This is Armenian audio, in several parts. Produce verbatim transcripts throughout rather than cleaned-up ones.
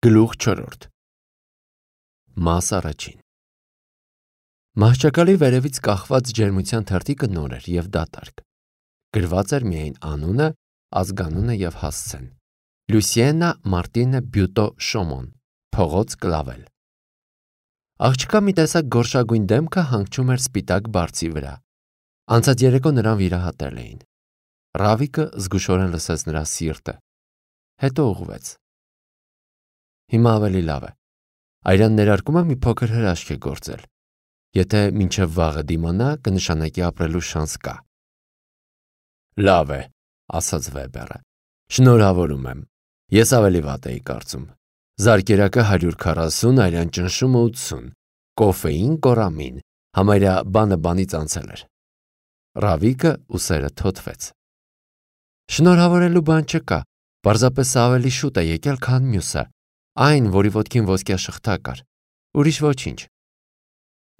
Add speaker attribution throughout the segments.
Speaker 1: Գլուխ չորրորդ Մաս առաջին Մահճակալի վերևից կախված ջերմության թերթիկը նոր էր և դատարկ։ Գրված էր միայն անունը, ազգանունը և հասցեն։ Լուսիենա Մարտինե Բյուտո Շոմոն, փողոց Կլավել։ Աղջկա մի տեսակ գորշագույն դեմքը հանգչում էր սպիտակ բարձի վրա։ Անցած երեկո նրան վիրահատել էին։ Ռավիկը զգուշորեն լսեց նրա սիրտը, հետո ուղղվեց։ Հիմա ավելի լավ է։ Այրան ներարկում է մի փոքր հրաշք է գործել։ Եթե մինչև վաղը դիմանա, կնշանակի ապրելու շանս կա։ Լավ է, ասաց Վեբերը։ Շնորհավորում եմ։ Ես ավելի վատ էի կարծում։ Զարկերակը հարյուր քառասուն, այրան ճնշումը ութսուն, կոֆեին, կորամին, համարյա բանը բանից անցել էր։ Ռավիկը ուսերը թոթվեց։ Շնորհավորելու բան չկա, պարզապես սա ավելի շուտ է եկել, քան մյուսը, այն, որի ոտքին ոսկյա շղթա կար, ուրիշ ոչինչ։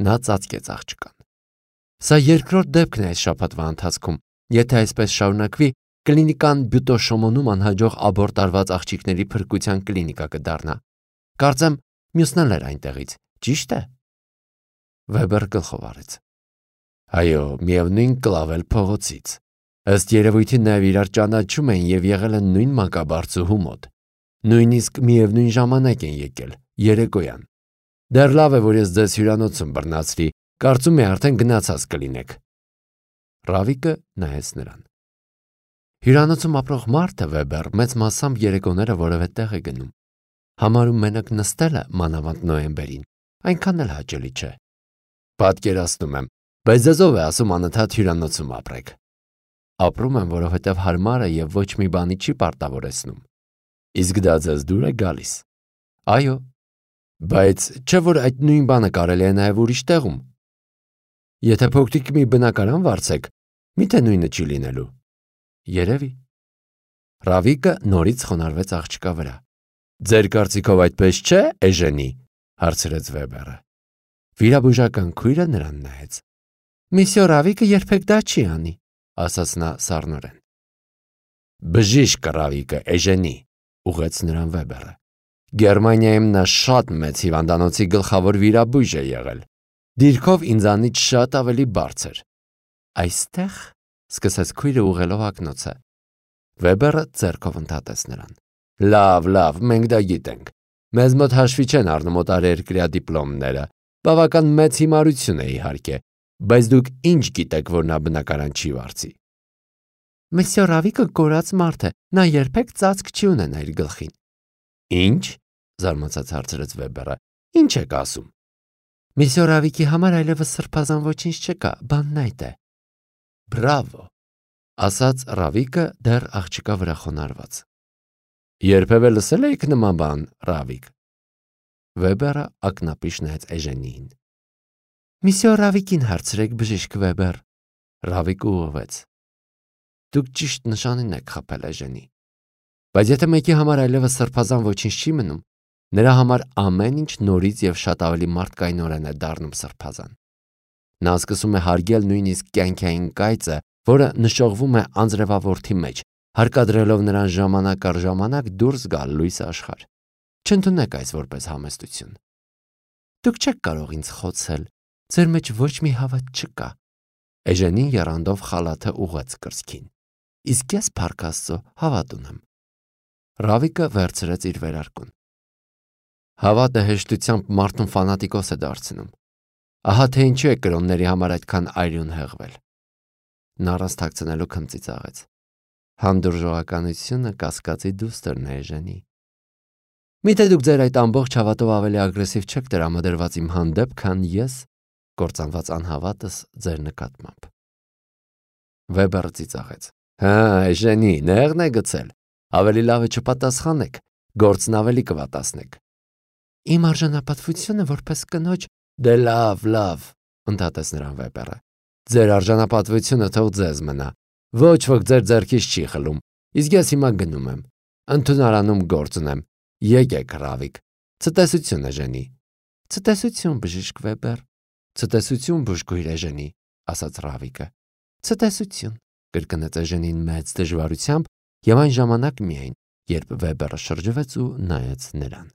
Speaker 1: Նա ծածկեց աղջկան։ Սա երկրորդ դեպքն է այս շաբաթվա ընթացքում, եթե այսպես շարունակվի, կլինիկան Բյուտո Շոմոնում անհաջող աբորտ արված աղջիկների փրկության կլինիկա կդառնա։ Կարծեմ, մյուսն էլ էր այնտեղից, ճիշտ է։ Վեբեր գլխով արեց։ Այո, միևնույն Կլավել փողոցից։ Ըստ երևույթի նաև իրար ճանաչում են և եղել են նույն մանկաբարձուհու մոտ։ Նույնիսկ միևնույն ժամանակ են եկել, երեկոյան։ Դեռ լավ է, որ ես ձեզ հյուրանոցում բռնացրի, կարծում եմ արդեն գնացած կլինեք։ Ռավիկը նայեց նրան։ Հյուրանոցում ապրող մարդը, Վեբեր, մեծ մասամբ երեկոները որևէ տեղ է գնում։ Համարում մենակ նստելը, մանավանդ նոյեմբերին, այնքան էլ հաճելի չէ։ Պատկերացնում եմ, բայց ձեզ ով է ասում անընդհատ հյուրանոցում ապրեք։ Ապրում եմ, որովհետև հարմար է և ոչ մի բանի չի պարտավորեցնում։ Իսկ դա ձեզ դուր է գալիս։ Այո, բայց չէ՞ որ այդ նույն բանը կարելի է նաև ուրիշ տեղում։ Եթե փոքրիկ մի բնակարան վարձեք, միթե նույնը չի լինելու։ Երևի։ Ռավիկը նորից խոնարհվեց աղջկա վրա։ Ձեր կարծիքով այդպես չէ, Էժենի, հարցրեց Վեբերը։ Վիրաբուժական քույրը նրան նայեց։ Միսյո Ռավիկը երբեք դա չի անի, ասաց նա սառնորեն։ Բժիշկ Ռավիկը, Էժենի, ուղղեց նրան Վեբերը։ Գերմանիայում նա շատ մեծ հիվանդանոցի գլխավոր վիրաբույժ է եղել։ Դիրքով ինձանից շատ ավելի բարձր։ Այստեղ, սկսեց քույրը ուղղելով ակնոցը։ Վեբերը ձեռքով ընդհատեց նրան։ Լավ, լավ, մենք դա գիտենք։ Մեզ մոտ հաշվի չեն առնում օտարերկրյա դիպլոմները։ Բավական մեծ հիմարություն է իհարկե, բայց դուք ինչ գիտեք, որ նա բնակարան չի վարձի։ Մեսյո Ռավիկը կորած մարդ է, նա երբեք ծածկ չի ունենա իր գլխին։ Ինչ, զարմացած հարցրեց Վեբերը, ինչ եք ասում։ Մեսյո Ռավիկի համար այլևս սրբազան ոչինչ չկա, բանն այդ է։ Բրավո, ասաց Ռավիկը դեռ աղջկա վրա խոնարհված։ Երբևէ լսել եք նման բան, Ռավիկ։ Վեբերը ակնապիշ նայեց Էժենիին։ Միսյո Ռավիկին հարցրեք, բժիշկ Վեբեր։ Ռավիկը ուղղվեց։ Դուք ճիշտ նշանին եք խփել, Էժենի։ Բայց եթե մեկի համար այլևս սրբազան ոչինչ չի մնում, նրա համար ամեն ինչ նորից և շատ ավելի մարդկայնորեն է դառնում սրբազան։ Նա սկսում է հարգել նույնիսկ կյանքային կայծը, որը նշողվում է անձրևավորթի մեջ, հարկադրելով նրան ժամանակ առ ժամանակ դուրս գալ լույս աշխարհ։ Չընդունեք այս որպես համեստություն։ Դուք չեք կարող ինձ խոցել, ձեր մեջ ոչ մի հավատ չկա։ Էժենին եռանդով խալաթը ուղղեց կրծքին։ Իսկ ես, փառք Աստծո, հավատ ունեմ։ Ռավիկը վերցրեց իր վերարկուն։ Հավատը հեշտությամբ մարդուն ֆանատիկոս է դարձնում։ Ահա թե ինչու է կրոնների համար այդքան արյուն հեղվել։ Նա առանց թաքցնելու քմծի ծաղեց։ Հանդուրժողականությունը կասկածի դուստրն է, Էժենի։ Միթե դուք ձեր այդ ամբողջ հավատով ավելի ագրեսիվ չեք տրամադրված իմ հանդեպ, քան ես, կործանված անհավատս ձեր նկատմամբ։ Վեբերը ծիծաղեց։ Հա, Էժենի, նեղն է գցել։ Ավելի լավ է չպատասխանեք, գործն ավելի կվատացնեք։ Իմ արժանապատվությունը որպես կնոջ։ Դե լավ, լավ, ընդհատեց նրան Վեբերը։ Ձեր արժանապատվությունը թող ձեզ մնա։ Ոչ ոք ձեր ձեռքից չի խլում, իսկ ես հիմա գնում եմ։ Ընդունարանում գործ ունեմ։ Եկեք, Ռավիկ։ Ցտեսություն, Էժենի։ Ցտեսություն, բժիշկ Վեբեր։ Ցտեսություն, բուժքույր Էժենի, ասաց Ռավիկը։ Ցտեսություն, կրկնեց Էժենին մեծ դժվարությամբ և այն ժամանակ միայն, երբ Վեբերը շրջվեց ու նայեց նրան։